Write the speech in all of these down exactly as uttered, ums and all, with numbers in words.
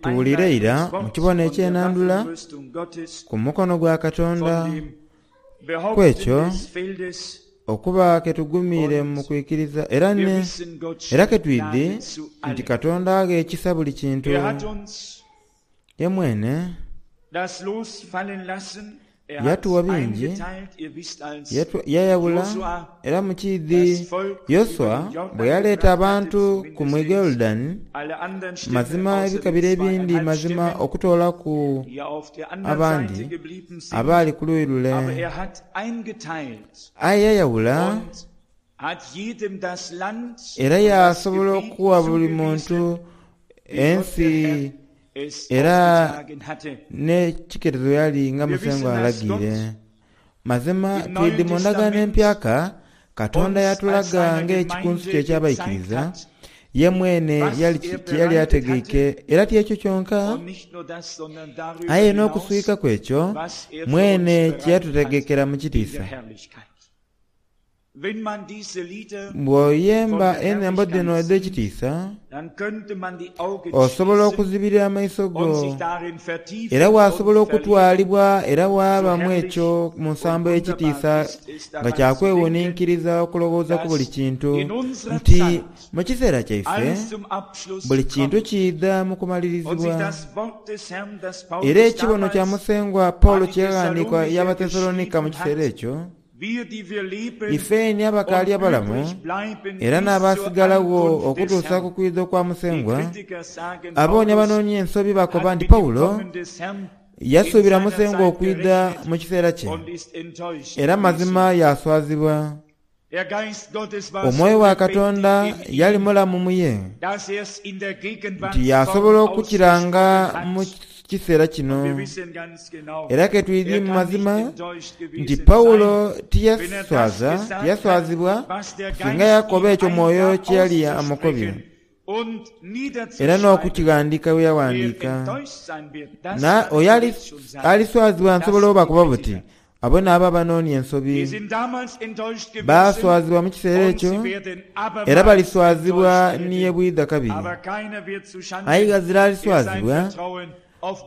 Tuwulire ira mu kibono eky'enandula ku mukono gwa Katonda ku ekyo okuba ketugumiire mu kwikiriza era ne era ketwidhi nti Katonda agha ekisa buli kintu. Ye mwene yatuwa bingi, yayawula era mukiidhi Yoswa bwe yaleeta abantu ku mwiga Yoludaani, mazima ebika bire ebindi mazima okutoolaku abandi abaali ku luuyi lule. Aye yayawula era yasobola okuwa buli muntu ensi era n'ekiketezo yali nga Musengwa alagiire. Mazima twidhi mu ndagaano empyaka Katonda yatulaga ng'ekikunsu kye eky'abaikiriza ye mwene kye yali ategeike, era ti ekyo kyonka, aye n'okuswikaku ekyo mwene kye yatutegekera mu kitiisa. Bw'oyemba enhembo dhino edh'ekitiisa, osobola okuzibirira amaiso go era wasobola okutwalibwa era waaba mu ekyo mu nsambo ey'ekitiisa nga kyakwewuninkiriza okulowooza ku buli kintu nti mu kiseera kyaife buli kintu kiidha mu kumalirizibwa. Era ekibono kya Musengwa Paulo kye yaghandiika y'Abathesalonika mu kiseera ekyo, ife ni abakaali abalamu era n'abaasigalagho okutuusa ku kwidha okwa Musengwa, aboonia abanoonia ensobi bakoba nti Paulo yasuubira Musengwa okwidha mu kiseera kye, era mazima yaswazibwa. Omwoyo wa Katonda yali mulamu mu ye, nti yasobola okukiranga mu kiseera kino. Era ketwidhi mu mazima nti Paulo tiyaswaza tiyaswazibwa singa yakoba ekyo Mwoyo kye yali amukobye, era n'okukighandiika bwe yawandiika. Oyo aliswazibwa nsobola obakoba buti abo n'abo abanoonia ensobi baaswazibwa mu kiseera ekyo era baliswazibwa ni ye bwidha kabiri. Aye ghazira aliswazibwa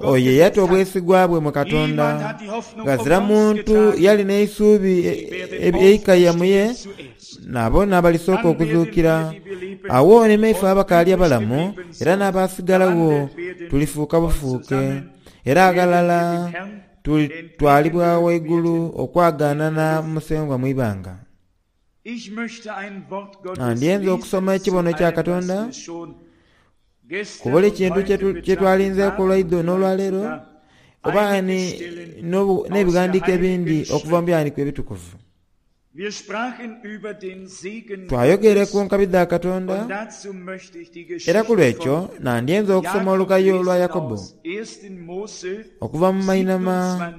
oyo eyata obwesigwa bwe mu Katonda. Ghazira muntu yali n'eisuubi eikaya mu ye, nabo n'abalisooka okuzuukira. Agho ni maife abakaali abalamu era n'abaasigalagho tulifuuka bufuuke, era aghalala tulitwalibwa ghaigulu okwagaanana Musengwa mu ibanga. Ndyenze okusoma ekibono kya Katonda ku buli kintu kye twalinzeeku olwaidho n'olwaleero, oba n'ebighandiiko ebindi okuva mu Byawandiikibwa Ebitukuvu. Twayogere ku nkabi dha Katonda, era ku lw'ekyo nandyenze okusoma olukayo lwa Yakobo okuva mu mainhama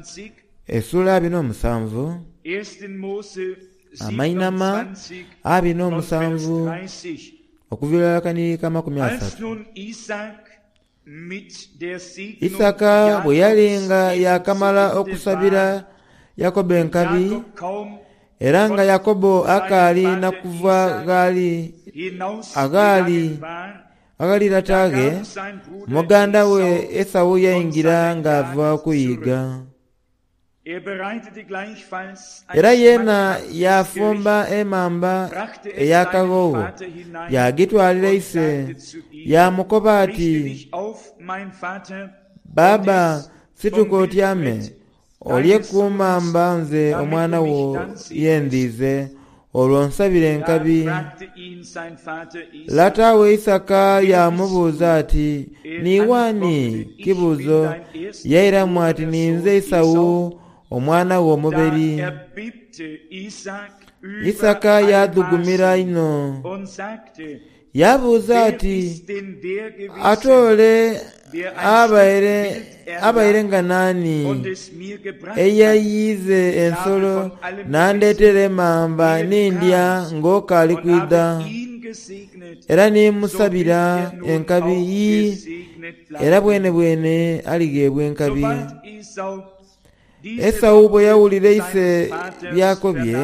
esula abiri n'omusanvu, amainhama abiri n'omusanvu okuviira irala kanirika amakumi asatu. Isaka bwe yali nga yaakamala okusabira Yakobo enkabi, era nga Yakobo akaali na kuva ghali aghali aghali lata ghe, muganda we Esau yaingira ng'ava okuyiiga. Era yeena yaafumba emamba ey'akaghogho yaagitwalira ise, yaamukoba ati, Baba, situka otyame, olye ku mamba nze omwana wo ye ndhize, olwo nsabire enkabi. Lata we Isaka yaamubuuza ati, Niiwe ani? Kibuuzo. Yairamu ati, Ninze Esau omwana wo omuberi. Isaka yaadhugumira inho. Yaabuuza ati, Ate ole abaire abaire nga naani eyayiize ensolo n'andeetera emamba ni ndya ng'okaali kwidha, era ni mmusabira enkabi? Yii, era bwenebwene aligheebwa enkabi. Esau bwe yawulira ise by'akobye,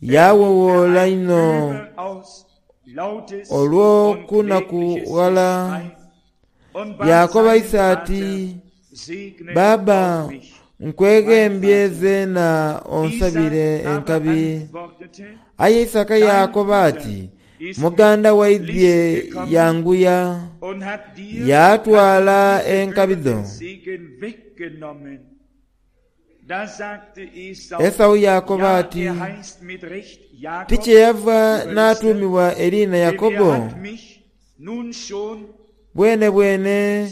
yaawowoola inho Olw'okunakughala yaakoba ise ati, "Baba, nkweghembye zeena onsabire enkabi." Aye Isaka yaakoba ati, "Muganda waidhye yanguya, yaatwala enkabi dho." Esau yaakoba ati, "Tikyeyava n'atuumibwa eriina Yakobo? Bwene bwene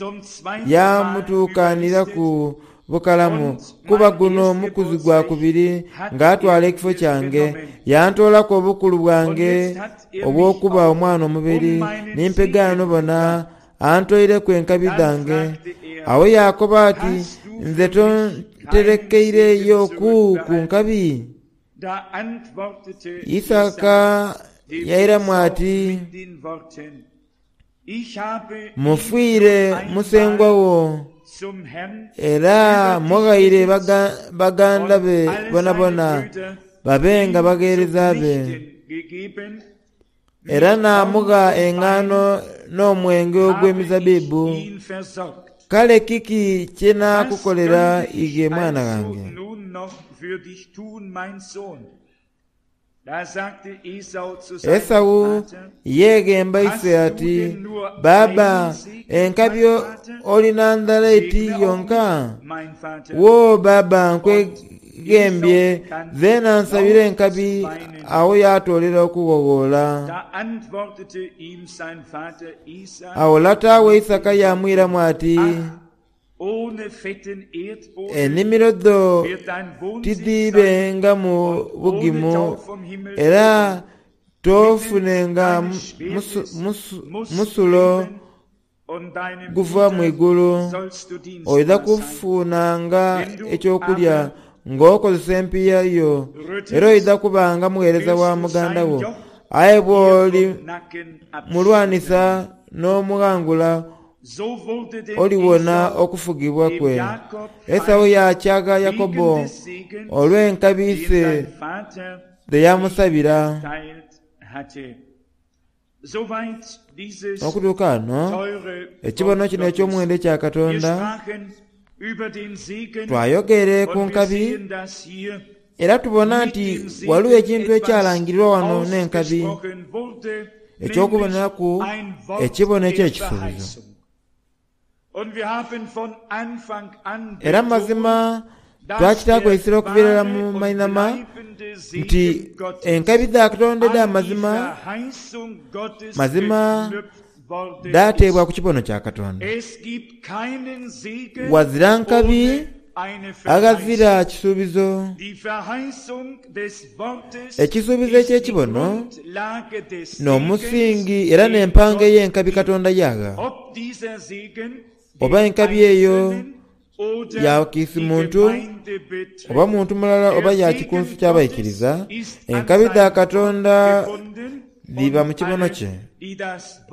yamutuukaniraku bukalamu, kuba guno mukuzi gwa kubiri ng'atwala ekifo kyange, yantoolaku obukulu bwange obw'okuba omwana omuberi, ni mpegaano bona antoireku enkabi dhange." Awo yaakoba ati, "Nze tonterekeireyoku ku nkabi?" Isaka yairamu ati, "Mufiire musengwa wo, era mughaire baganda be bonabona babenga bagheereza be. Era naamugha engaano n'omwenge ogw'emizabbibu. Kale kiki kye nnaakukolera ighe mwana wange?" Esau yeeghemba ise ati, "Baba, enkabi oli na ndhala eti yonka? Wo baba, nkweghembye zeena nsabire enkabi." Awo yaatoolera okughoghola. Awo lata we Isaka yamwiramu ati, "Enimiro dho tidhiibengamu bugimu, era toofunenga musulo guva mu igulu. Oidha kufunanga eky'okulya ng'okozesa empiiya yo, era oidha kubanga mugheereza wa muganda wo. Aye bw'olimulwanisa n'omughangula, oliwona okufugibwa kwe." Esau yaakyagha Yakobo olw'enkabi ise dhe yamusabira. Okutuuka ghano, ekibono kino eky'omuwendo ekya Katonda, twayogere ku nkabi, era tubona nti ghaligho ekintu ekyalangirirwa wano n'enkabi eky'okuboneraku ekibono eky'ekisuubizo. Era mazima twakitaaku eisira okuviira irala mu mainhama nti enkabi dha Katonda edh'amazima mazima dhateebwa ku kibono kya Katonda. Ghazira nkabi aghazira kisuubizo. Ekisuubizo eky'ekibono n'omusingi era n'empanga ey'enkabi Katonda yaagha. Oba enkabi eyo ya kiisi muntu, oba muntu mulala oba ya kikunsu ky'abaikiriza, enkabi dha Katonda dhiba mu kibono kye.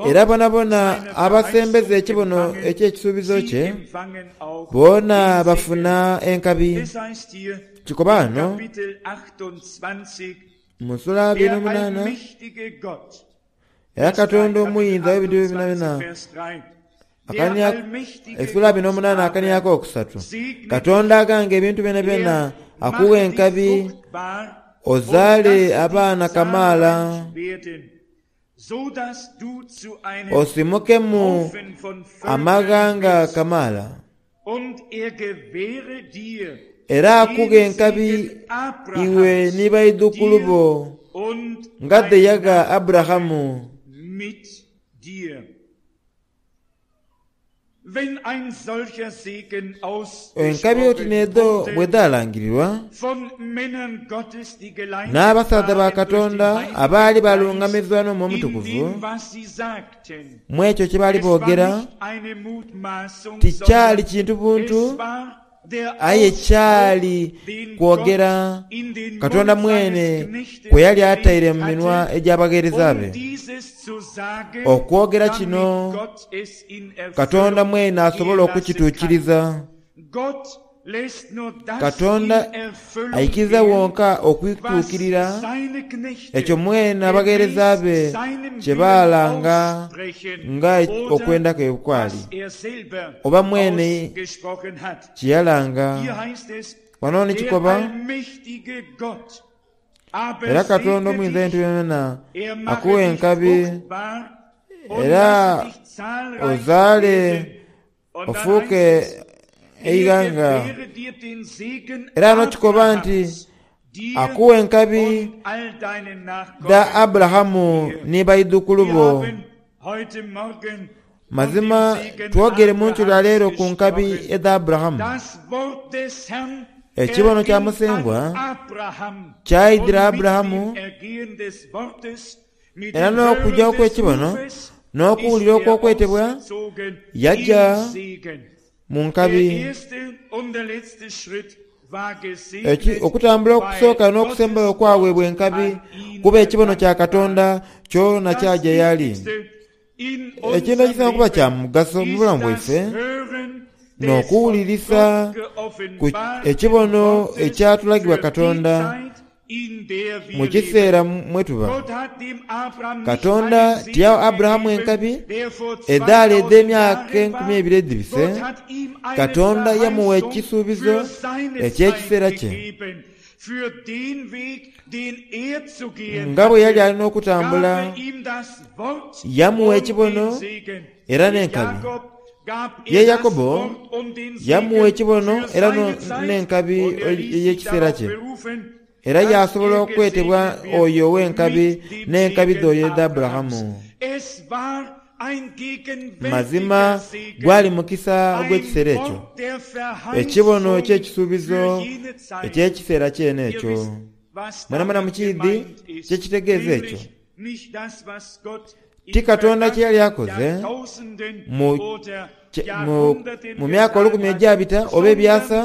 Era bonabona abasembeza ekibono eky'ekisuubizo kye, boona bafuna enkabi. Kikoba ghano mu sula abiri n'omunaana, era Katonda omuyinza w'ebintu byonabyona, esula abiri n'omunaana akania akokusatu, Katonda aghanga ebintu byonabyona akugha enkabi ozaale abaana kamaala, osimukemu amaghanga kamaala. Era akugha enkabi iwe ni baidhukulu bo nga dhe yagha Aburahamu. Enkabi oti n'edho bwe dhaalangirirwa n'abasaadha ba Katonda abaali balungamizibwa n'Omwoyo Omutukuvu mu ekyo kye baali boogera, tikyali kintu buntu aye kyali kwogera Katonda mwene kwe yali ataire mu minwa egy'abagheereza be. Okwogera kino Katonda mwene asobola okukituukiriza. Katonda aikiriza wonka okwituukirira ekyo mwene abagheereza be kye baalanga nga okwenda kwe kwali, oba mwene kye yalanga. Wano ni kikoba, era Katonda omuyinza w'ebintu byonabyona akuwa enkabi era ozaale ofuuke eighanga. Era ghano kikoba nti akuwa enkabi dha Aburahamu ni baidhukulu bo. Mazima twogere mu nkyo lwa leero ku nkabi edha Aburahamu. Ekibono kya Musengwa kyaidhira Aburahamu, era n'okugya okw'ekibono n'okuwulira okw'okwetebwa, yaja mu nkabi. Okutambula okusooka n'okusembayo okwaweebwa enkabi kuba ekibono kya Katonda kyona kyaja y'ali. Ekintu ekisinga okuba kya mugaso mu bulamu bwaife n'okuwulirisa ku ekibono ekyatulagibwa Katonda mu kiseera mwe tuba. Katonda tiyagha Aburahamu enkabi edhaali edh'emyaka enkumi ebiri edhibise. Katonda yamuwa ekisuubizo eky'ekiseera kye. Nga bwe yali alina okutambula, yamuwa ekibono era n'enkabi. Ye Yakobo yamuwa ekibono era n'enkabi ey'ekiseera kye. Era yaasobola okwetebwa oyo ow'enkabi n'enkabi dh'oyo edha Aburahamu. Mazima gwali mukisa ogw'ekiseera ekyo, ekibono eky'ekisuubizo eky'ekiseera kyene ekyo. Mwenamwena mukiidhi kye kitegeeza ekyo? Ti Katonda kye yali akoze mu, mu, mu myaka olukumi egyabita oba ebyasa,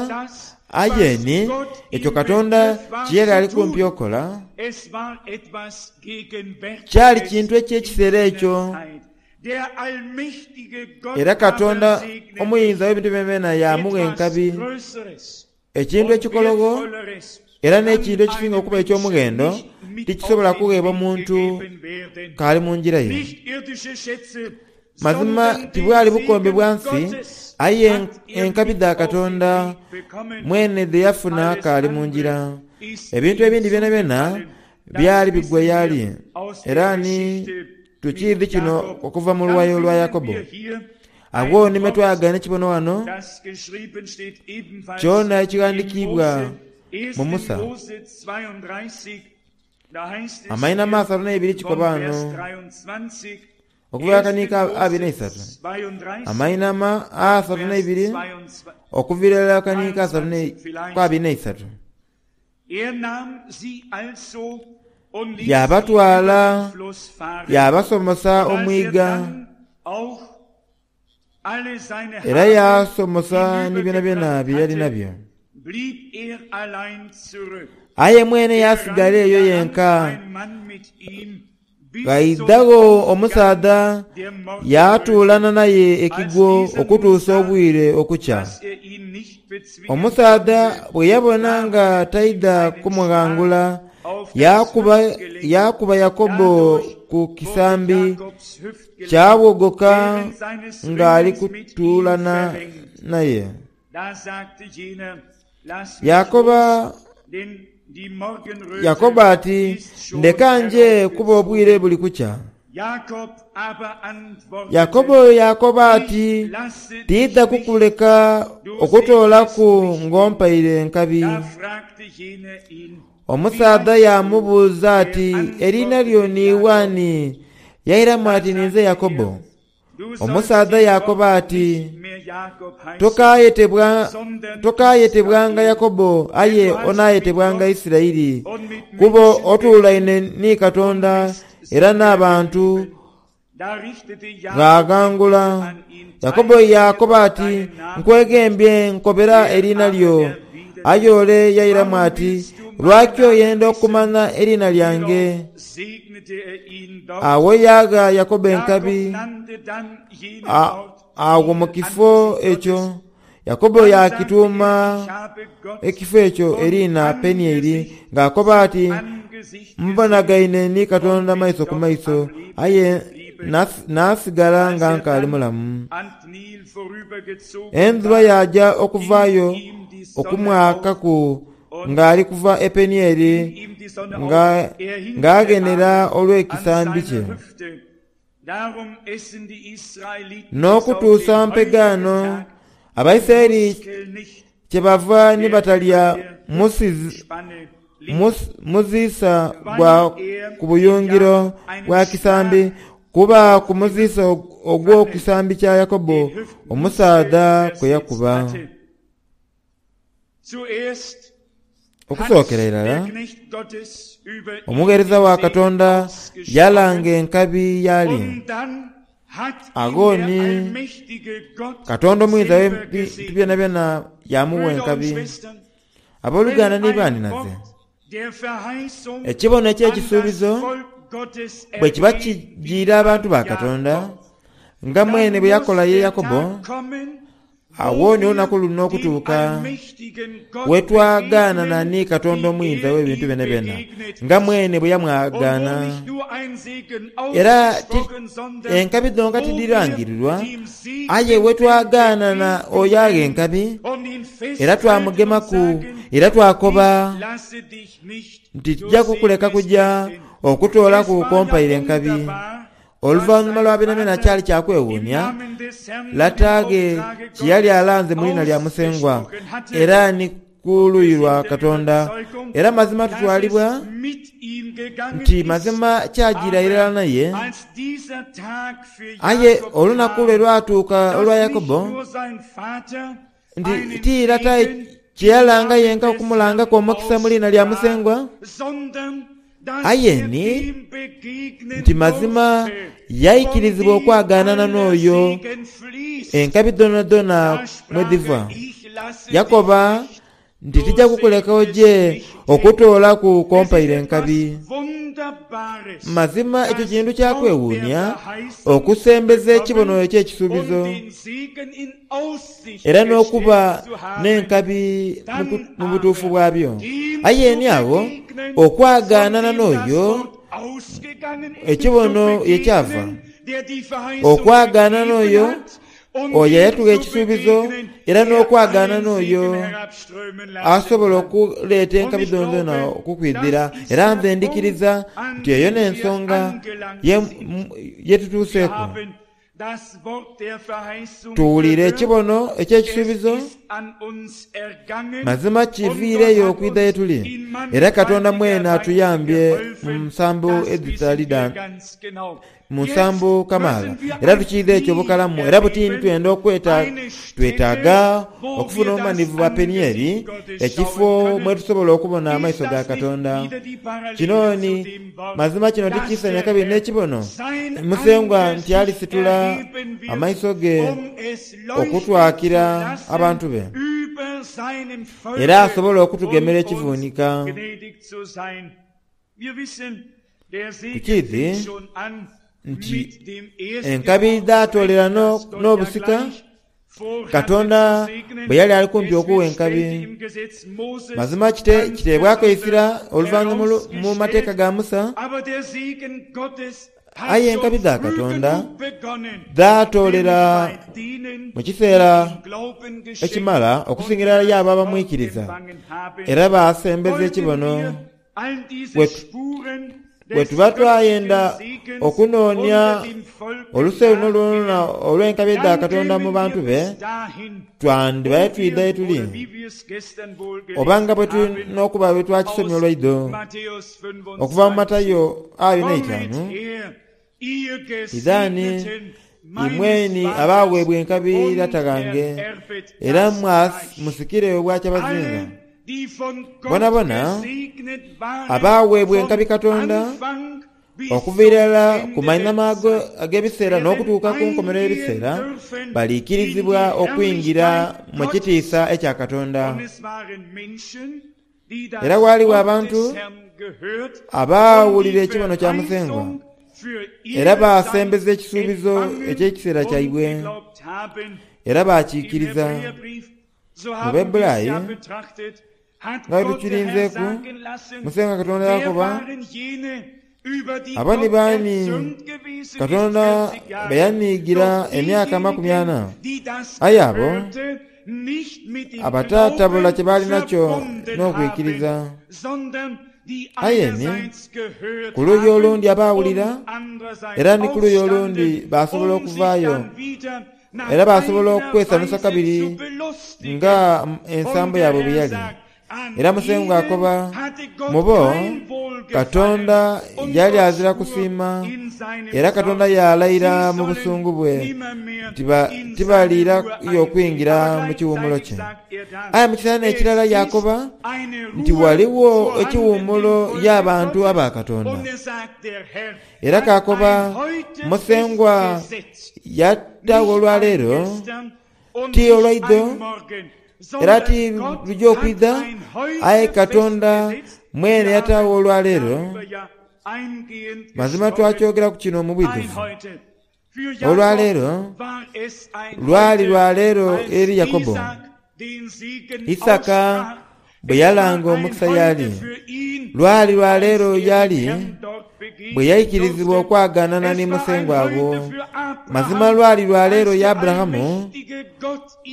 aye ni ekyo Katonda kye yali ali kumpi okola kyali kintu eky'ekiseera ekyo. Era Katonda omuyinza w'ebintu byonabyona yaamugha enkabi, ekintu ekikologho era n'ekintu ekisinga okuba eky'omughendo tikisobola kugheebwa muntu k'ali mu ngira ye. Mazima tibwali bukombe bwa nsi, aye enkabi dha Katonda mwene dhe yafuna k'ali mu ngira. Ebintu ebindi byonabyona byali bigwa y'ali. Era ni tukiidhi kino okuva mu luwayo lwa Yakobo. Agho ni me twayagaana ekibono ghano kyona ekighandikiibwa mu Musa. Amainhama asatu n'eibiri kikoba ghano okuva akaniiko abiri n'eisatu. Amainhama asatu n'eibiri okuviira irala akaniiko asatu ku abiri n'eisatu. Yaabatwala yaabasomosa omwiga, era yaasomosa ni byonabyona bye yali nabyo. Aye mwene yaasigala eyo yenka. Ghaidhagho omusaadha yaatuulana naye ekigwo okutuusa obwire okukya. Omusaadha bwe yabona nga taidha kumughangula, yaakuba yaakuba Yakobo ku kisambi kyawogoka ng'ali kutuulana naye. Yaakoba Yakobo ati, Ndeka nje kuba obwire buli kukya. Yakobo yaakoba ati, Tiidha kukuleka okutoolaku ng'ompaire enkabi. Omusaadha yaamubuuza ati, Eriina lyo niiwe ani? Yairamu ati, Ninze Yakobo. Omusaadha yaakoba ati, Tokaayetebwanga Yakobo, aye onaayetebwanga Isiraeli, kuba otuulaine ni Katonda era n'abantu ghaghangula. Yakobo yaakoba ati, Nkweghembye nkobera eriina lyo. Aye ole yairamu ati, Lwaki oyenda okumanha eriina lyange? Agho yaagha Yakobo enkabi agho mu kifo ekyo, Yakobo yaakituuma ekifo ekyo eriina Penieri, ng'akoba ati, Mbonagaine ni Katonda maiso ku maiso, aye naasigala nga nkaali mulamu. Endhuba yaja okuvaayo okumwakaku ng'ali kuva e Penieri ng'aghenera olw'ekisambi kye. N'okutuusa mpegaano Abaisiraeli kyebava ni batalya muziisa gwa ku buyungiro bwa kisambi, kuba ku muziisa ogw'oku kisambi kya Yakobo omusaadha kwe yakuba. Okusookera irala, omugheereza wa Katonda yalanga enkabi y'ali. Agho ni Katonda omuyinza w'ebintu byonabyona yamugha enkabi. Abooluganda ni baanhinaze, ekibono eky'ekisuubizo bwe kiba kijiira abantu ba Katonda, nga mwene bwe yakola ye Yakobo, agho ni olunaku luno okutuuka we twagaanana ni Katonda omuyinza w'ebintu byonabyona, nga mwene bwe yamwagaana. Era enkabi dhonka tidhirangirirwa, aye we twagaanana oyo agha enkabi, era twamugemaku, era twakoba nti tija kukuleka kuja okutoolaku kw'ompaire enkabi. Oluvannyuma lwa byonabyona kyali kya kwewuunia lata ghe kye yali alanze mu liina lya Musengwa era ni ku luuyi lwa Katonda. Era mazima tutwalibwa nti mazima kyajiira irala naye. Aye olunaku lwe lwatuuka olwa Yakobo, nti ti lata kye yalanga yenka okumulangaku omukisa mu liina lya Musengwa, aye ni nti mazima yaikirizibwa okwagaanana n'oyo enkabi dhoonadhoona mwe dhiva. Yakoba nti tija kukuleka oje okutoolaku kw'ompaire enkabi. Mazima ekyo kintu kya kwewuunia okusembeza ekibono eky'ekisuubizo era n'okuba n'enkabi mu butuufu bwabyo. Aye ni agho okwagaanana n'oyo ekibono ye kyava, okwagaanana n'oyo oyo eyatugha ekisuubizo, era n'okwagaana n'oyo asobola okuleeta enkabi dhoonadhoona okukwidhira. Era nze ndhikiriza nti eyo n'ensonga ye tutuuseeku. Tuwulire ekibono eky'ekisuubizo, mazima kiviireyo okwidha ye tuli, era Katonda mwene atuyambye mu nsambo edhitali dha mu nsambo kamaala. Era tukiidha ekyo bukalamu, era buti twenda okweta twetaaga okufuna obumanivu bwa Penieri, ekifo mwe tusobola okubona amaiso ga Katonda. Kino ni mazima kino tikiisania kabiri n'ekibono Musengwa nti alisitula amaiso ge okutwakira abantu be, era asobole okutugemera ekivunika. Tukiidhi nti enkabi dhatoolera n'obusika Katonda bwe yali ali kumpi okugha enkabi. Mazima kiteebwaku eisira oluvannyuma mu mateeka ga Musa, aye enkabi dha Katonda dhatoolera mu kiseera ekimala okusingira irala y'abo abamwikiriza era baasembeza ekibono. Bwe tuba twayenda okunoonia oluse luno lwonalwona olw'enkabi dha Katonda mu bantu be, twandibaire twidha ye tuli, oba nga bwe tuli n'okuba bwe twakisomye olwaidho okuva mu Matayo abiri n'eitaanu, Idhani imweni abaaweebwa enkabi Lata ghange, era musikire obwakyabazinga. Bonabona abaaweebwa enkabi Katonda okuva irala ku mainhama ag'ebiseera n'okutuuka ku nkomerero y'ebiseera, baliikirizibwa okwingira mu kitiisa ekya Katonda. Era ghaligho abantu abaawulira ekibono kya Musengwa era baasembeza ekisuubizo eky'ekiseera kyaibwe, Era baakiikiriza. Mu Bebbulaayi nga bwe tukirinzeeku, Musengwa Katonda yakoba, Abo ni baani Katonda be yaniigira emyaka amakumi ana? Aye abo abataatabula kye baali nakyo n'okwikiriza. Aye ni ku luuyi olundi abaawulira, era ni ku luuyi olundi baasobola okuvaayo era baasobola okwesanusa kabiri nga ensambo yaabwe bwe yali. Era Musengwa akoba, Mu bo Katonda yali azira kusiima, era Katonda yaalayira mu busungu bwe nti tibaliirayo okwingira mu kiwuumulo kye. Aye mu kiseera n'ekirala yaakoba nti ghaligho ekiwuumulo y'abantu aba Katonda. Era kaakoba, Musengwa yataagho olwaleero, ti olwaidho, era ti luja okwidha, aye Katonda mwene yataagho olwaleero. Mazima twakyogeraku kino mu bwidhuvu. Olwaleero lwali lwaleero eri Yakobo, Isaaka bwe yalanga omukisa y'ali. Lwali lwaleero y'ali bwe yaikirizibwa okwagaanana ni Musengwa agho. Mazima lwali lwaleero ya Aburahamu,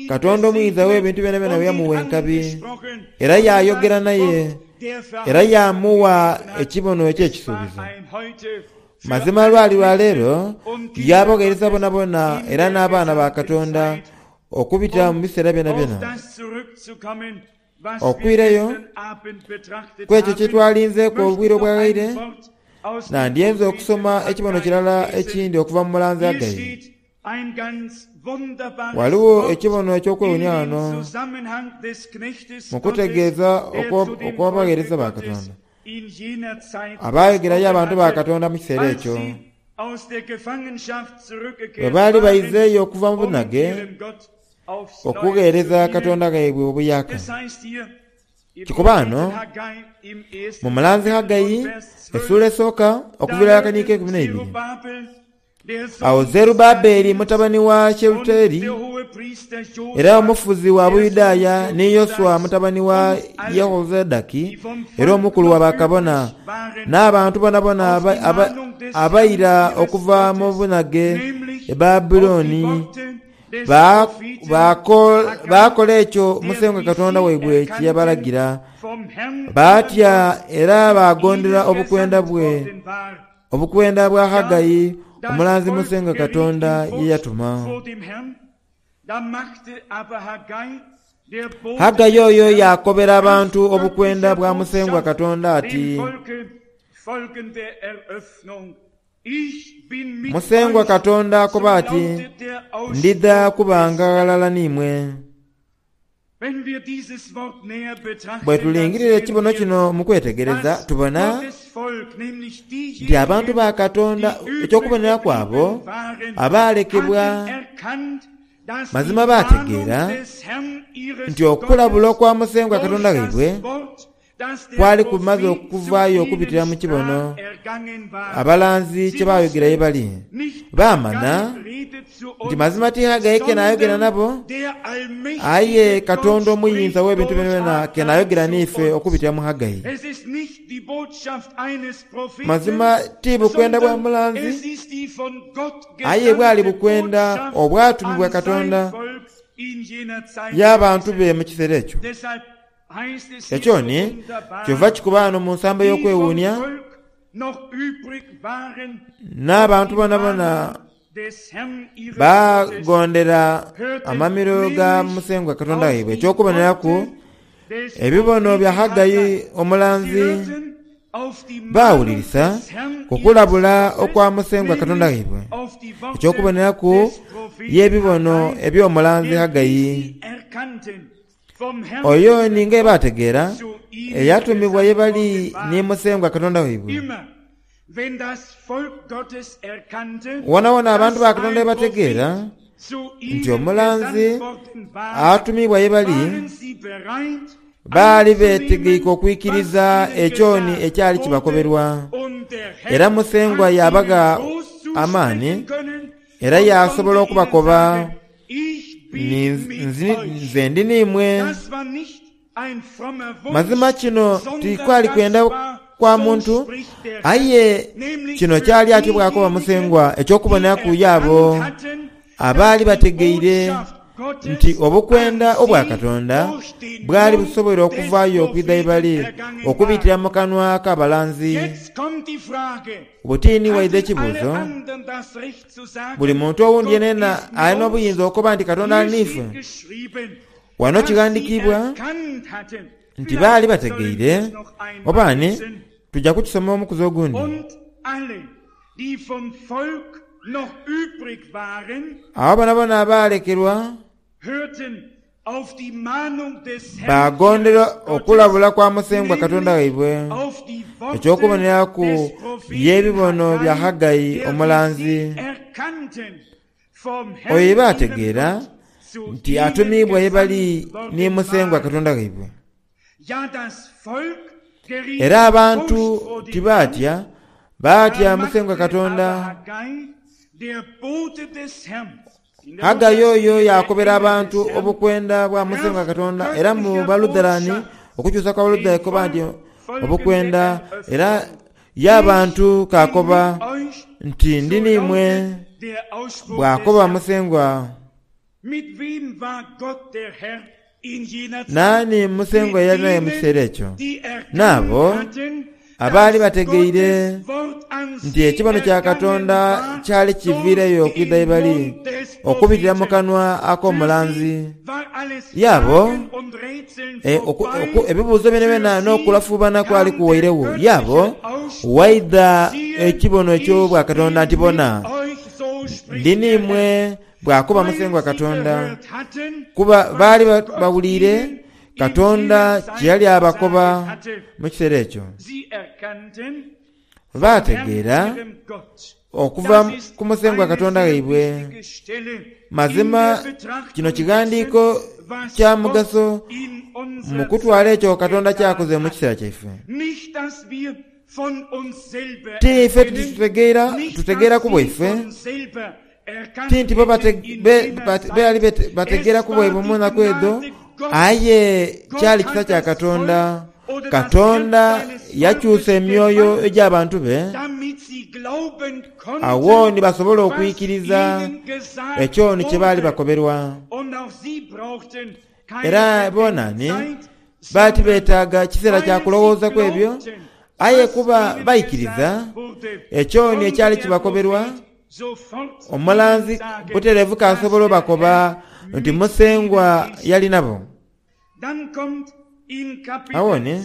Katonda omuyinza w'ebintu byonabyona bwe yamuwa enkabi, era yaayogera naye, era yaamuwa ekibono eky'ekisuubizo. Mazima lwali lwaleero y'abagheereza bonabona era n'abaana ba Katonda okubita mu biseera byonabyona. Okwirayo ku ekyo kye twalinzeeku obwire obwaghaire, nandyenze okusoma ekibono kirala ekindi okuva mu mulanzi Hagai. Ghaligho ekibono eky'okwewuunia ghano mu kutegeeza okw'abagheereza ba Katonda abaayogerayo abantu ba Katonda mu kiseera ekyo. Bwe baali baizeeyo okuva mu bunhage okugheereza Katonda ghaibwe obuyaaka. Kikoba ghano mu mulanzi Hagai esula esooka okuviira akaniiko eikumi n'eibiri. Agho Zerubbabeli mutabani wa Shealutieli era omufuzi wa Buyudaaya, ni Yoshua mutabani wa Yehozadaki era omukulu wa bakabona, n'abantu boonaboona abaira okuva mu bunhage e Babulooni, baakola ekyo Musengwa Katonda waibwe kye yabalagira. Baatya era baagondera obukwenda bwe obukwenda bwa Hagai omulanzi Musengwa Katonda ye yatuma. Hagai oyo yaakobera abantu obukwenda bwa Musengwa Katonda ati, Musengwa Katonda akoba ati, Ndidha kubanga ghalala n'imwe. Bwe tulingirira ekibono kino mu kwetegereza, tubona nti abantu ba Katonda eky'okuboneraku abo abaalekebwa mazima baategeera nti okulabula okwa Musengwa Katonda waibwe kwali kumaze okuvaayo okubitira mu kibono abalanzi kye baayogera ye bali. Baamanha nti mazima ti Hagai ke naayogera nabo, aye Katonda omuyinza w'ebintu byonabyona ke naayogera n'ife okubitira mu Hagai. Mazima ti bukwenda bwa mulanzi, aye bwali bukwenda obwatumibwa Katonda y'abantu be mu kiseera ekyo. Ekyo ni kyova kikuba ghano mu nsambo ey'okwewuunia, n'abantu boonaboona baagondera amamiro ga Musengwa Katonda waibwe. Eky'okuboneraku, ebibono bya Haggai omulanzi baawulirisa ku kulabula okwa Musengwa Katonda waibwe. Eky'okuboneraku y'ebibono eby'omulanzi Haggai. Oyo ni nga baategeera eyatumibwa ye bali ni Musengwa Katonda waibwe. Wonawona abantu ba Katonda ghe bategeera nti omulanzi atumiibwa ye bali, baali beetegeike okwikiriza ekyoni ekyali kibakoberwa. Era Musengwa yaabagha amaani era yaasobola okubakoba Nze ndi n'imwe. Mazima kino tikwali kwenda kwa muntu, aye kino kyali atyo bw'akoba Musengwa eky'okuboneraku y'abo abaali bategeire nti obukwenda obwa Katonda bwali busoboire okuvaayo okwidha ye bali okubitira mu kanwa k'abalanzi. Butini waidha ekibuuzo, buli muntu owundi yenayena alina obuyinza okukoba nti Katonda ali n'ife? Wano kighandiikibwa nti baali bategeire, oba ni tuja kukisoma omukuzi ogundi. Abo boonaboona abaalekerwa baagondera okulabula kwa Musengwa Katonda waibwe, eky'okuboneraku y'ebibono bya Haggai omulanzi. Oyo ye baategeera nti atumiibwa ye bali ni Musengwa Katonda waibwe. Era abantu tibaatya, baatya Musengwa Katonda. Haggai oyo yaakobera abantu obukwenda bwa Musengwa Katonda, era mu Balutherani, okukyusa kwa Balutherani koba nti obukwenda, era y'abantu kaakoba nti ndi n'imwe, bw'akoba Musengwa. Naani Musengwa ye yali naye mu kiseera ekyo? N'abo abaali bategeire nti ekibono kya Katonda kyali kiviireyo okwidha ye bali okubitira mu kanwa ak'omulanzi. Y'abo ebibuuzo byonabyona n'okulafuubana kwali kuwairegho. Y'abo waidha ekibono eky'obwakatonda nti bona, ndi n'imwe, bw'akoba Musengwa Katonda. Kuba baali bawuliire Katonda kye yali abakoba mu kiseera ekyo. Baategeera okuva ku Musengwa Katonda waibwe. Mazima kino kighandiiko kya mugaso mu kutwala ekyo Katonda ky'akoze mu kiseera kyaife. Ti ife tutegeera tutegeeraku bwaife, ti nti bo beali bategeeraku bwaibwe mu naku edho, aye kyali kisa kya Katonda. Katonda yakyusa emyoyo egy'abantu be agho ni basobola okwikiriza ekyo ni kye baali bakoberwa. Era bona ni baali tibeetaaga kiseera kya kulowoozaku ebyo, aye kuba baikiriza ekyo ni ekyali kibakoberwa, omulanzi butereevu k'asobola obakoba nti Musengwa yali nabo. Agho ni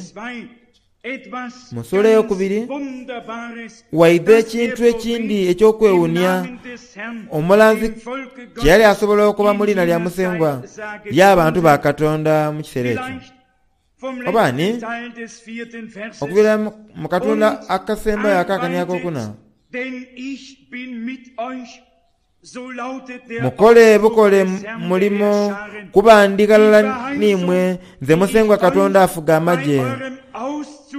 mu sula eyokubiri waidha ekintu ekindi eky'okwewuunia omulanzi kye yali asobola okukoba mu liina lya Musengwa y'abantu ba Katonda mu kiseera ekyo. Oba ni, okuviira mu katunda akasembayo ak'akani akokuna, Mukole bukole mulimo, kuba ndi ghalala n'imwe nze Musengwa Katonda afuga amagye.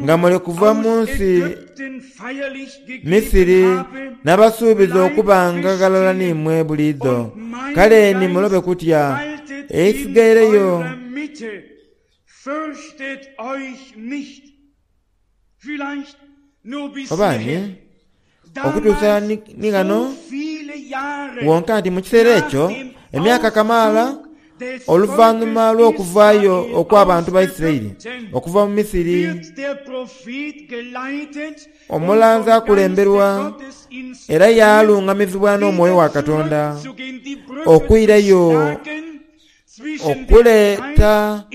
Nga muli kuva mu nsi Misiri nabasuubiza okubanga ghalala n'imwe buliidho. Kale ni mulobe kutya. Eisigaireyo oba ni, okutuusa ni ghano wonka nti mu kiseera ekyo emyaka kamaala oluvanhuma lw'okuvaayo okw'abantu ba Isiraeli okuva mu Misiri, omulanzi akulemberwa era yaalungamizibwa n'omwoyo wa Katonda okwirayo okuleeta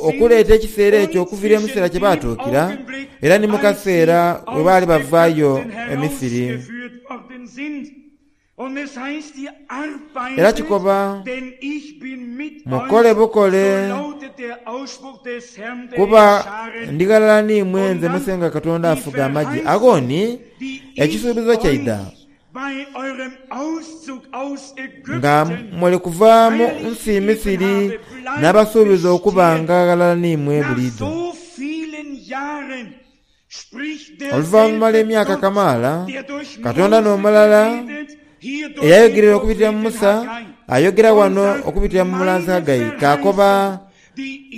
okuleeta ekiseera ekyo okuviira mu kiseera kye baatuukira era ni mu kaseera we baali bavaayo e Misiri. Era kikoba, Mukole bukole, kuba ndi ghalala n'imwe nze Musengwa Katonda afuga amagye. Agho ni ekisuubizo kyaidha nga muli kuva mu nsi Misiri n'abasuubiza okubanga ghalala n'imwe buliidho. Oluvanhuma lw'emyaka kamaala, Katonda n'omulala eyayogerera okubitira mu Musa Ayogera wano okubitira mu mulanzi Hagai kaakoba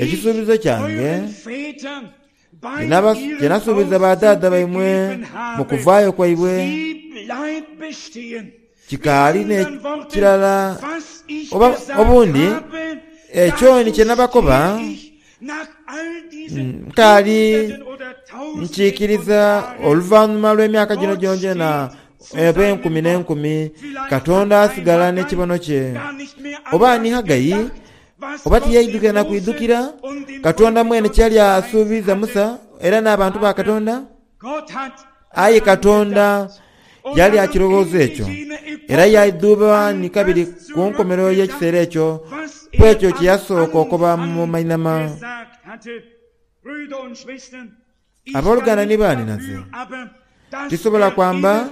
ekisuubizo kyange kye nasuubiza badhaadha baimwe mu kuvaayo kwaibwe kikaali n'ekirala oba obundi ekyo ni kye nabakoba nkaali nkiikiriza oluvannyuma lw'emyaka gino gyongyona oba enkumi n'enkumi Katonda asigala n'ekibono kye. Oba ni Hagai oba tiyaidhukira na kwidhukira Katonda mwene kye yali asuubiza Musa era n'abantu ba Katonda. Aye Katonda yali akirowooza ekyo era yaidhuba ni kabiri ku nkomerero y'ekiseera ekyo ku ekyo kye yasooka okuba mu mainhama. Abooluganda ni baanhinaze, tisobola kwamba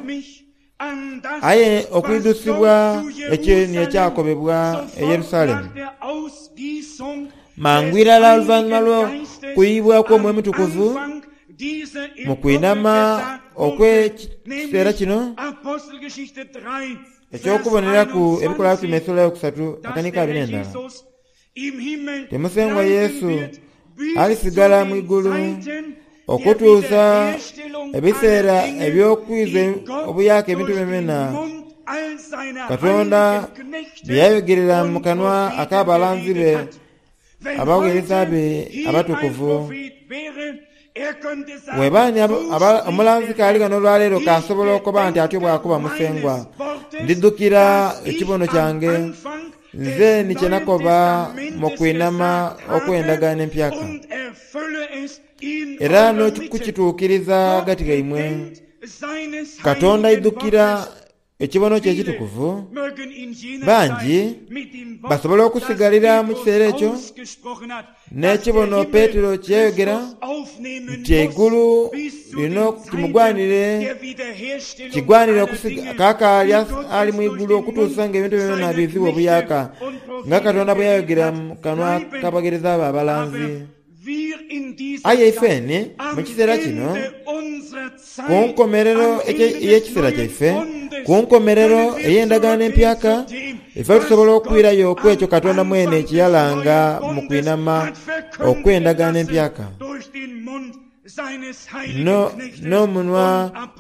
aye okwidhusibwa ekyo ni ekyakobebwa e Yerusalemu. Mangu irala oluvannyuma lw'okuyibwa kw'Omwoyo Mutukuvu mu kwinhama okw'ekiseera kino eky'okuboneraku Ebikolwa Bitume esula eyokusatu akanika abiri n'endala. Ti Musengwa Yesu alisigala mu igulu okutuusa ebiseera eby'okwiza obuyaaka ebintu byona Katonda bye yayogerera mu kanwa ak'abalanzi be abagheereza be abatukuvu. Bw'eba ni omulanzi k'ali ghano olwaleero k'asobola okuba nti atyo bw'akoba Musengwa, ndidhukira ekibono kyange nze ni kye nakoba mu kwinhama okw'endagaano empyaka era n'okukituukiriza ghagati ghaimwe. Katonda aidhukira ekibono kye ekitukuvu. Bangi basobola okusigalira mu kiseera ekyo n'ekibono Petero kye yayogera nti eigulu lino kimugwanire kigwanire kakaali ali mu igulu okutuusa nga ebintu byona biizibwa obuyaka nga Katonda bwe yayogera mu kanwa k'abagheereza be abalanzi. Aye ifeni mu kiseera kino, ku nkomerero ey'ekiseera kyaife, ku nkomerero ey'endagaano empyaka, ife tusobola okwirayo ku ekyo Katonda mwene kye yalanga mu kwinhama okw'endagaano empyaka n'omunwa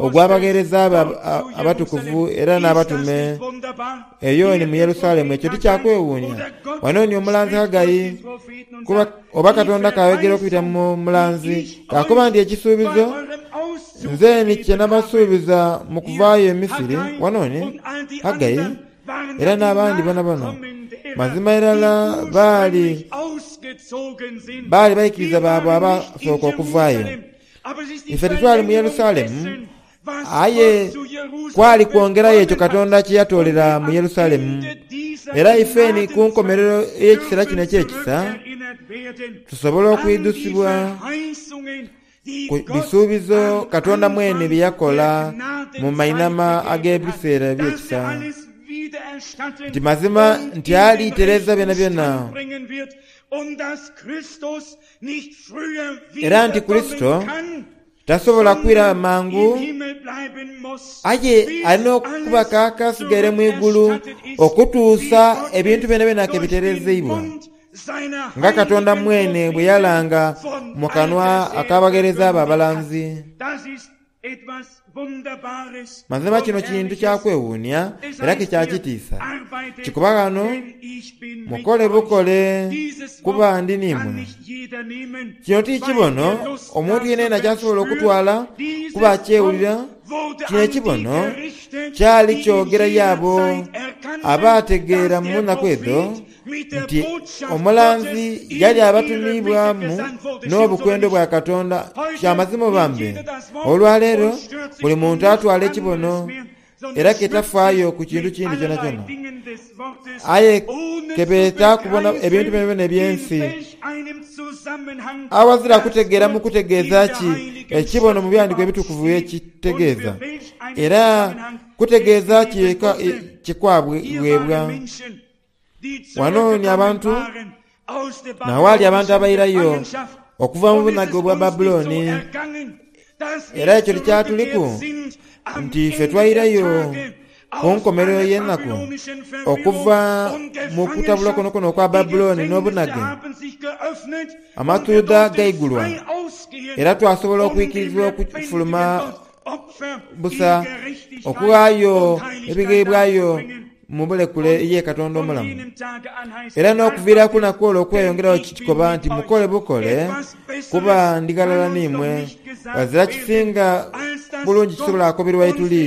ogw'abagheereza be abatukuvu era n'abatume eyo ni mu Yerusalemu. Ekyo tikyakwewuunia. Wano ni omulanzi Hagai oba Katonda k'ayogera okubita mu mulanzi k'akoba nti ekisuubizo nze ni kye nabasuubiza mu kuvaayo e Misiri. Wano ni Hagai era n'abandi bonabona mazima irala baali baali baikiriza baabwe abasooka okuvaayo. Ife titwali mu Yerusalemu, aye kwali kwongerayo ekyo Katonda kye yatoolera mu Yerusalemu. Era ife ni ku nkomerero ey'ekiseera kino eky'ekisa tusobola okwidhusibwa ku bisuubizo Katonda mwene bye yakola mu mainhama ag'ebiseera eby'ekisa. Nti mazima nti alitereza byonabyona era nti Kurisito tasobola kwira mangu, aye alina okuba kaaka asigaire mu igulu okutuusa ebintu byonabyona ke biterezeibwa nga Katonda mwene bwe yalanga mu kanwa ak'abagheereza be abalanzi. Mazima kino kintu kya kwewuunia era ke kya kitiisa. Kikuba ghano mukole bukole kuba ndi n'imwe. Kino ti kibono omuntu yenayena ky'asobola okutwala kuba akyewulira. Kino ekibono kyali kyogera y'abo abaategeera mu nnaku edho nti omulanzi yali abatumiibwamu n'obukwendo bwa Katonda. Kya mazima oba mbe, olwaleero buli muntu atwala ekibono era ke tafaayo ku kintu kindi kyonakyona. Aye ke beeta kubona ebintu byonabyona eby'ensi awazira kutegeera mu kutegeeza ki ekibono mu Byandiko Ebitukuvu bye kitegeeza, era kutegeeza ki kye kwaweebwa. Wano ni abantu n'awaali abantu abairayo okuva mu bunhage obwa Babulooni, era ekyo tikyatuliku nti ife twairayo Ku nkomerero y'enaku, okuva mu kutabulwa kuno kuno okwa Babulooni n'obunage, amatuudha gaigulwa era twasobola okwikirizibwa okufuluma busa okughaayo ebigheebwayo mu bulekule ye Katonda omulamu. Era n'okuviira ku lunaku olwo okweyongerayo kikoba nti mukole bukole kuba ndi ghalala n'imwe. Ghazira kisinga bulungi kisobola kukoberwa ye tuli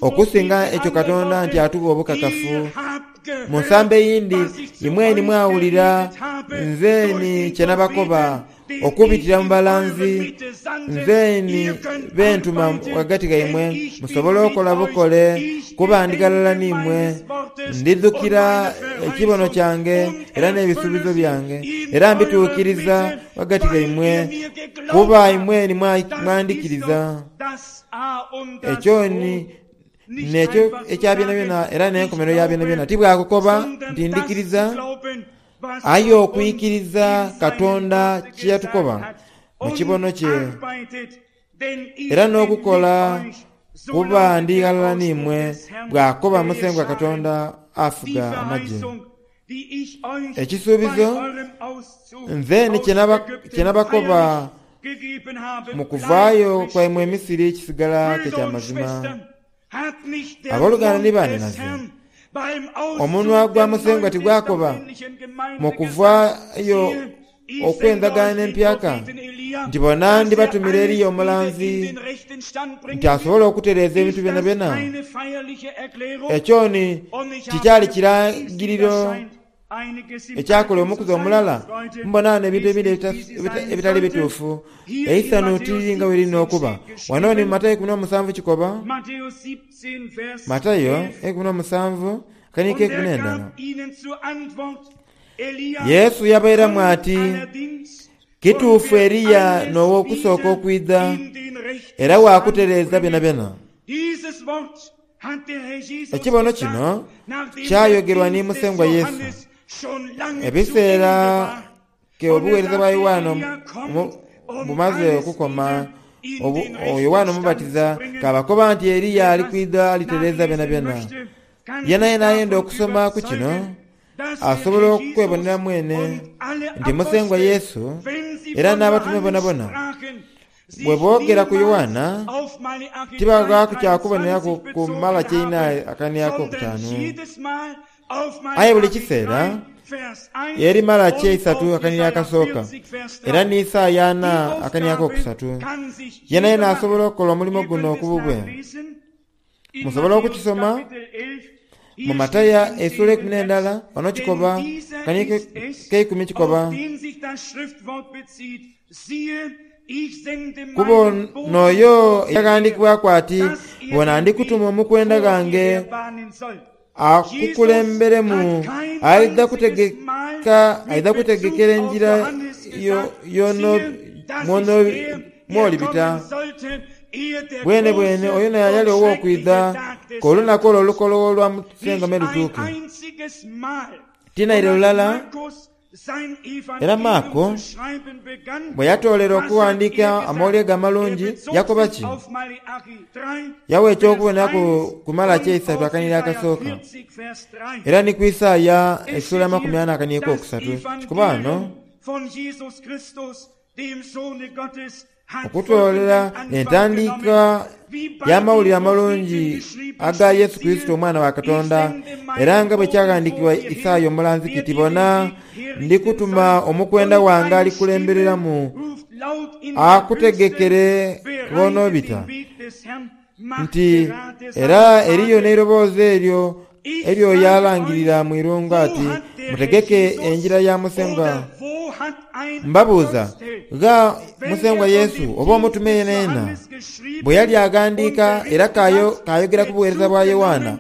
okusinga ekyo Katonda nti atugha obukakafu. Mu nsambo eyindi imweni mwawulira nzeni kye nabakoba okubitira mu balanzi, nzeni bentuma ghagati ghaimwe musobole okola bukole kuba ndi ghalala n'imwe. Ndidhukira ekibono kyange era n'ebisuubizo byange, era mbituukiriza ghagati ghaimwe, kuba imweni mwandhikiriza. Ekyo ni n'ekyo ekya byonabyona era n'enkomerero ya byonabyona. Ti bwakukoba nti ndhikiriza, aye okwikiriza Katonda kye yatukoba mu kibono kye, era n'okukola kuba ndi ghalala n'imwe, bw'akoba Musengwa Katonda afuga amagye. Ekisuubizo nze ni kye nabakoba mu kuvaayo kwaimwe e Misiri kisigala ke kya mazima. Abooluganda ni banhinaze, omunwa gwa Musengwa tigwakoba mu kuvaayo okw'endagaano empyaka nti bona ndibatumira Eriya omulanzi nti asobole okutereeza ebintu byonabyona. Ekyo ni tikyali kiragiriro ekyakola omukuzi omulala. Mbona ghano ebintu ebindi ebitali bituufu. Eisanhu tiriri nga bwe lirina okuba. Wano ni mu Matayo ikumi n'omusanvu kikoba, Matayo eikumi n'omusanvu akaniiko eikumi n'endala. Yesu yabairamu ati, Kituufu Eriya n'ow'okusooka okwidha era waakutereeza byonabyona. Ekibono kino kyayogerwa ni Musengwa Yesu ebiseera ke obuweereza bwa Yoanne bumaze okukoma. Yoanne Omubatiza k'abakoba nti Eriya ali kwidha alitereeza byonabyona. Yenayena ayenda okusoma ku kino asobola okwebonera mwene nti Musengwa Yesu era n'abatume bonabona bwe boogera ku Yoanna tibaghaaku kya kuboneraku ku Malaki eina akaniiko akokutaanu. Aye buli kiseera eri Malaki eisatu akaniiko akasooka era ni Isaaya ana akaniiko akokusatu. Yenayena asobola okukola omulimo guno ku bubwe. Musobola okukisoma mu Matayo esula eikumi n'endala wano kikoba akaniiko k'eikumi kikoba, Kuba n'oyo eyaghandiikibwaku ati, Bona ndi kutuma omukwenda ghange akukulemberemu, aidha kutegeka aidha kutegekera engira mw'olibita. Bwenebwene oyo n'ayali ow'okwidha k'olunaku olwo olukologho olwa Musengwa me lutuuke. Ti naire lulala. Era Maako bwe yatoolera okughandiika Amawulire ge Amalungi yakoba ki? Yawa eky'okuboneraku ku Malaki eisatu akaniiro akasooka era ni ku Isaaya esula amakumi ana akaniiro akokusatu. Kikuba ghano okutoolera entandiika y'Amawulire Amalungi aga Yesu Kurisito Omwana wa Katonda, era nga bwe kyaghandiikibwa Isaaya omulanzi kiti, Bona, ndi kutuma omukwenda wange alikulembereramu akutegekere gh'onoobita. Nti era eriyo n'eiroboozi eryo ery'oyo alangirira mu irungu ati, Mutegeke engira ya Musengwa. Mbabuuza, gha Musengwa Yesu oba omutume yenayena bwe yali aghandiika era k'ayogera ku bugheereza bwa Yoanna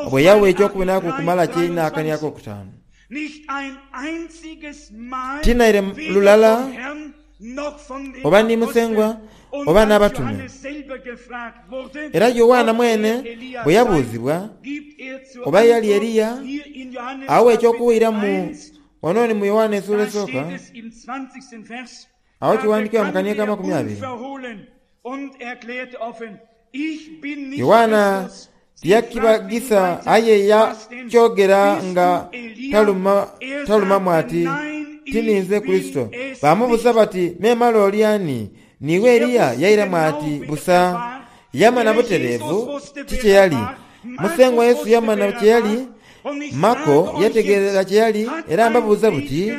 bwe yawa eky'okuboneraku ku Malaki eina akani akokutaanu? Ti naire lulala oba ni Musengwa oba n'abatume. Era Yoanna mwene bwe yabuuzibwa oba yali Eriya, awa eky'okuwiramu wano ni mu Yoanna esula esooka, agho kiwandiikibwa mu kaniiko amakumi abiri. Yoanna Tiyakibagisa aye yakyogera nga taluma talumamu ati, "Ti ninze Kurisito." Baamubuuza bati, "Memale oli ani? Niiwe Eriya?" Yairamu ati, "Busa." Yamana butereevu ti kye yali. Musengwa Yesu yamana kye yali, Mako yategeera kye yali, era mbabuuza buti,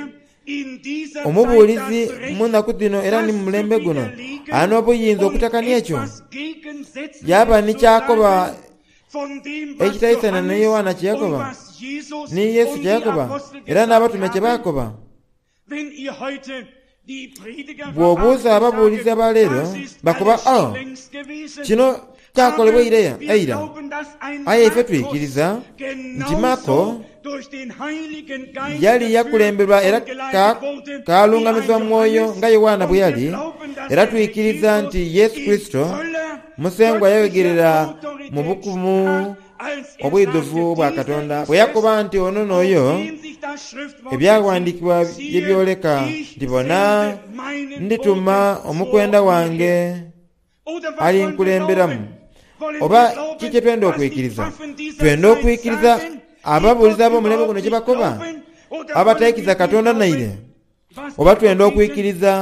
omubuulizi mu nnaku dhino era ni mu mulembe guno alina obuyinza okutakania ekyo? Yaba ni kyakoba ekitaisana ni Yoanna kye yakoba, ni Yesu kye yakoba, era n'abatume kye baakoba. Bw'obuuza ababuulizi aba leero bakoba, "Oh, kino kyakolebwa eira eira." Aye ife twikiriza nti Mako yali yakulemberwa era kalungamizibwa mwoyo nga Yoanna bwe yali, era twikiriza nti Yesu Kurisito Musengwa yayogerera mu bukumu obwidhuvu bwa Katonda bwe yakoba nti ono n'oyo ebyawandiikibwa bye byoleka nti bona ndituma omukwenda wange alinkulemberamu. Oba ki kye twenda okwikiriza? Twenda okwikiriza ababuulizi ab'omulembe guno kye bakoba, abataikiriza Katonda naire? Oba twenda okwikiriza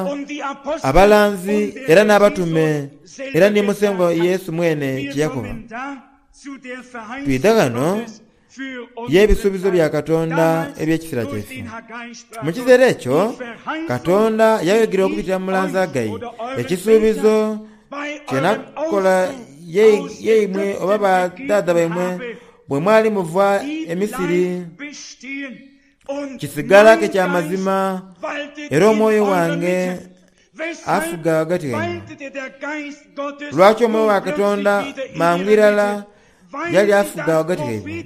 abalanzi era n'abatume era ni Musengwa Yesu mwene kye yakoba? Twidha ghano y'ebisuubizo bya Katonda eby'ekiseera kyaife. Mu kiseera ekyo Katonda yayogera okubitira mu mulanzi Hagai, ekisuubizo kye nakola yeimwe oba badhaadha baimwe bwe mwali muva e Misiri kisigala ke kya mazima, era omwoyo wange afuga ghagati ghaimwe. Lwaki omwoyo wa Katonda mangu irala yali afuga ghagati ghaibwe?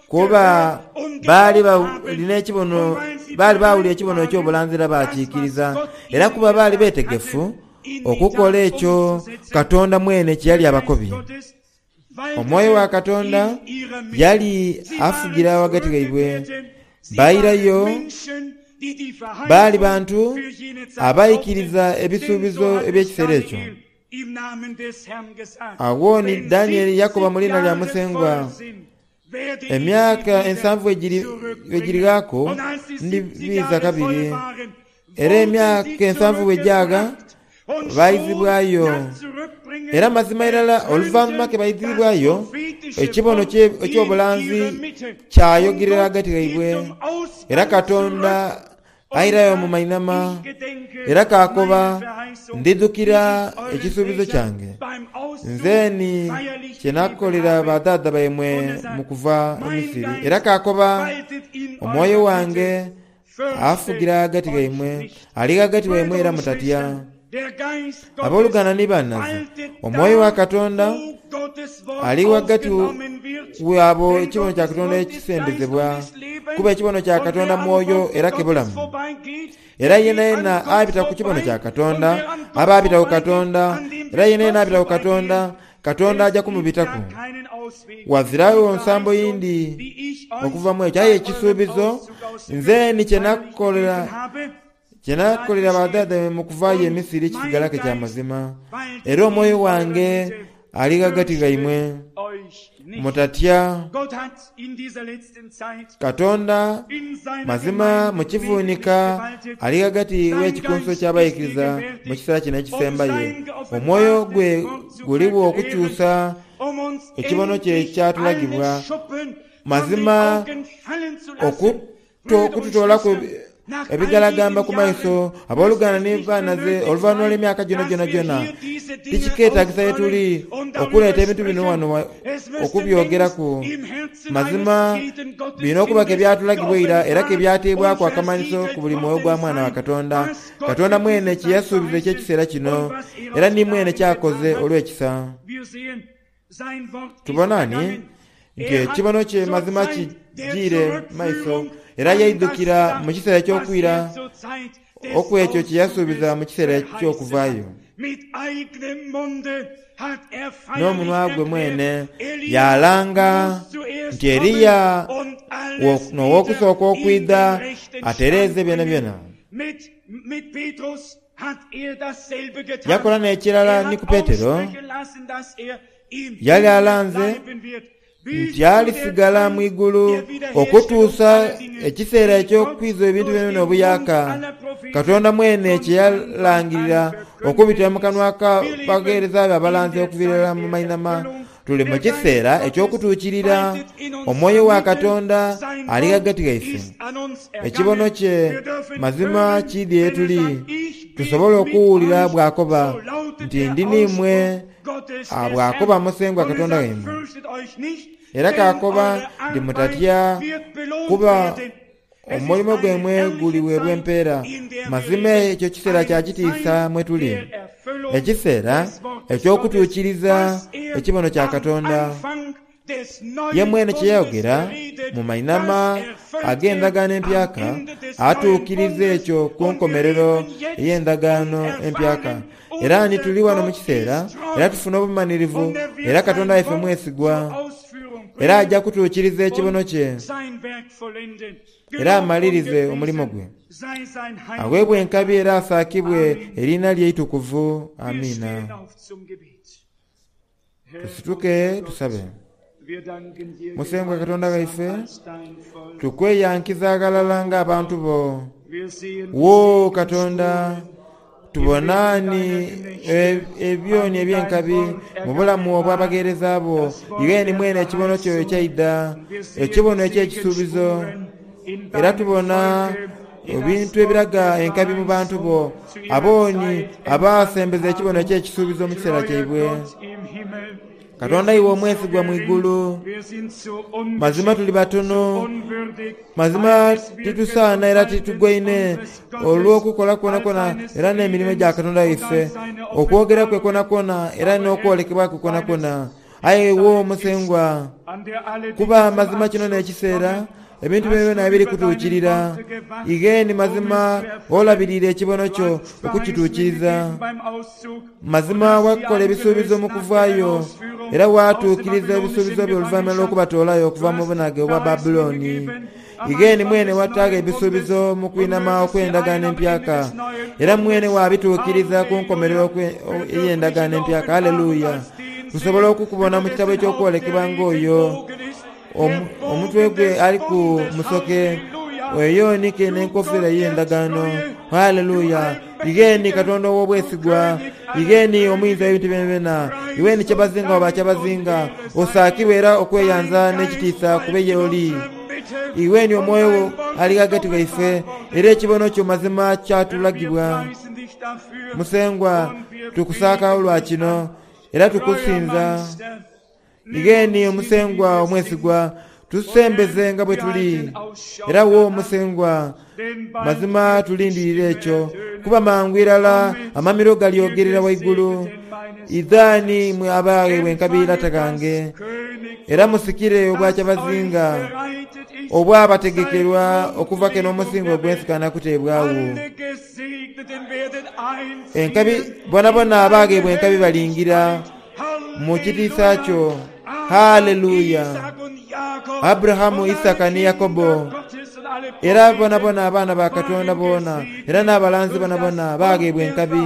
Kuba baali balina ekibono, baali bawulira ekibono eky'obulanzi era bakiikiriza, era kuba baali beetegefu okukola ekyo Katonda mwene kye yali abakobye. Omwoyo wa Katonda yali afugira ghagati ghaibwe. Bairayo baali bantu abaikiriza ebisuubizo eby'ekiseera ekyo. Agho ni Danieli yakoba mu liina lya Musengwa, emyaka ensanvu egirighaaku ndibiiza kabiri. Era emyaka ensanvu bwe gyaga baizibwayo. Era mazima irala oluvannyuma ke baizibwayo, ekibono eky'obulanzi kyayogerera ghagati ghaibwe. Era Katonda airayo mu mainhama era kaakoba, "Ndidhukira ekisuubizo kyange nze ni kye nakolera badhaadha baimwe mu kuva e Misiri." Era kaakoba, "Omwoyo wange afugira ghagati ghaimwe, ali ghagati waimwe era mutatya." Abooluganda ni bannaze, omwoyo wa Katonda ali ghagati waabo ekibono kya Katonda ekisembezebwa, kuba ekibono kya Katonda mwoyo era kibulamu. Era yenayena abita ku kibono kya Katonda aba abita ku Katonda, era yenayena abita ku Katonda, Katonda aja kumubitaku. Wazirawo nsambo yindi okuva mu ekyo, aye ekisuubizo nze ni kye nakolera kye nakolera badhaadha mu kuvaayo e Misiri kisigala ke kya mazima. Era omwoyo wange ali ghagati ghaimwe, mutatya. Katonda mazima mu kivuunika ali ghagati w'ekikunso ky'abaikiriza mu kiseera kino ekisembayo. Omwoyo gwe guligho okukyusa ekibono kye ekyatulagibwa. Mazima okututoolaku ebigalagamba ku maiso, abooluganda ni bannaze, oluvannyuma lw'emyaka gyona gyona gyona, tikikeetagisa ye tuli okuleeta ebintu bino wano okubyogeraku. Mazima birina okuba ke byatulagibwa eira era ke byateebwaku akamanhiso ku buli mwoyo gwa mwana wa Katonda. Katonda mwene kye yasuubiza eky'ekiseera kino, era ni mwene kyakoze olw'ekisa. Tubona ni nti ekibono kye mazima kijiire maiso, era yaidhukira mu kiseera eky'okwira okw'ekyo kye yasuubiza mu kiseera eky'okuvaayo. N'omunwa gwe mwene yalanga nti Eriya n'ow'okusooka okwidha atereeze byonabyona. Yakola n'ekirala ni ku Petero, Yali alanze nti alisigala mu igulu okutuusa ekiseera eky'okwiza ebintu byonabyona obuyaaka. Katonda mwene kye yalangirira okubitira mu kanwa k'abagheereza be abalanzi okuviira irala mu mainhama. Tuli mu kiseera eky'okutuukirira. Omwoyo wa Katonda ali ghagati ghaife. Ekibono kye mazima kiidhie ye tuli, tusobole okuwulira bw'akoba nti, Ndi n'imwe, bw'akoba Musengwa Katonda waimwe. Era k'akoba nti, Mutatya, kuba omulimo gwaimwe guliweebwa empeera. Mazima ekyo kiseera kya kitiisa mwe tuli, ekiseera eky'okutuukiriza ekibono kya Katonda. Ye mwene kye yayogera mu mainhama ag'endagaano empyaka, atuukiriza ekyo ku nkomerero ey'endagaano empyaka. Era ni tuli wano mu kiseera, era tufuna obumanhirivu, era Katonda waife mwesigwa, era aja kutuukiriza ekibono kye, era amalirize omulimo gwe. Aweebwe enkabi era asaakibwe eriina lye eitukuvu. Amiina. Tusituke tusabe. Musengwa Katonda waife, tukweyankiza ghalala ng'abantu bo. Wo Katonda, tubona ni ebyoni eby'enkabi mu bulamu obw'abagheereza bo. Iwe ni mwene ekibono kyo ekyaidha, ekibono eky'ekisuubizo. Era tubona ebintu ebiraga enkabi mu bantu bo, abooni abaasembeza ekibono eky'ekisuubizo mu kiseera kyaibwe. Katonda iwe omwesigwa mu igulu, mazima tuli batono, mazima titusaana era titugwaine olw'okukola kwonakwona era n'emirimo gya Katonda waife, okwogera kwe kwonakwona era n'okwolekebwa kwe kwonakwona. Aye wo Musengwa, kuba mazima kino n'ekiseera ebintu byonabyona biri kutuukirira. Ighe ni mazima olabiriire ekibono kyo okukituukiriza. Mazima wakola ebisuubizo mu kuvaayo, era waatuukiriza ebisuubizo byo oluvannyuma lw'okubatoolayo okuva mu bunhage obwa Babulooni. Ighe ni mwene wataagho ebisuubizo mu kwinhama okw'endagaano empyaka, era mwene waabituukiriza ku nkomerero ey'endagaano empyaka. Haleluya! Tusobola okukubona mu kitabo eky'okwolekebwa ng'oyo omutwe gwe aliku musoke, weeyonike n'enkofiira ey'endagaano. Haleluya! Ighe ni Katonda ow'obwesigwa, ighe ni omuyinza w'ebintu byonabyona, iwe ni kyabazinga wa bakyabazinga, osaakibwe era okweyanza n'ekitiisa kube y'oli. Iwe ni omwoyo ali ghagati ghaife, era ekibono kyo mazima kyatulagibwa. Musengwa, tukusaaka olwa kino, era tukusinza. Ighe ni Omusengwa omwesigwa, tusembeze nga bwe tuli. Era wo Musengwa, mazima tulindirira ekyo, kuba mangu irala amamiro galyogerera waigulu. Idhani imwe abagheebwa enkabi lata ghange, era musikire obwakyabazinga obwabategekerwa okuva kene omusingo ogw'ensi kanakuteebwagho. Enkabi bonabona abagheebwa enkabi balingira mu kitiisa kyo. Haleluya! Aburahamu, Isaaka ni Yakobo, era bonabona abaana ba Katonda boona, era n'abalanzi bonabona bagheebwa enkabi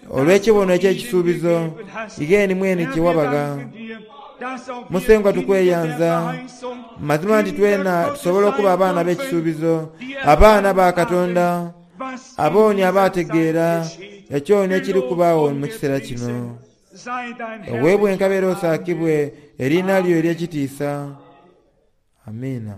olw'ekibono eky'ekisuubizo ighe ni mwene kye wabagha. Musengwa tukweyanza, mazima nti twena tusobola okuba abaana b'ekisuubizo, abaana ba Katonda, abooni abaategeera ekyoni ekiri kubaagho mu kiseera kino. Oweebwa enkabi era osaakibwe eriina lyo ery'ekitiisa. Amiina.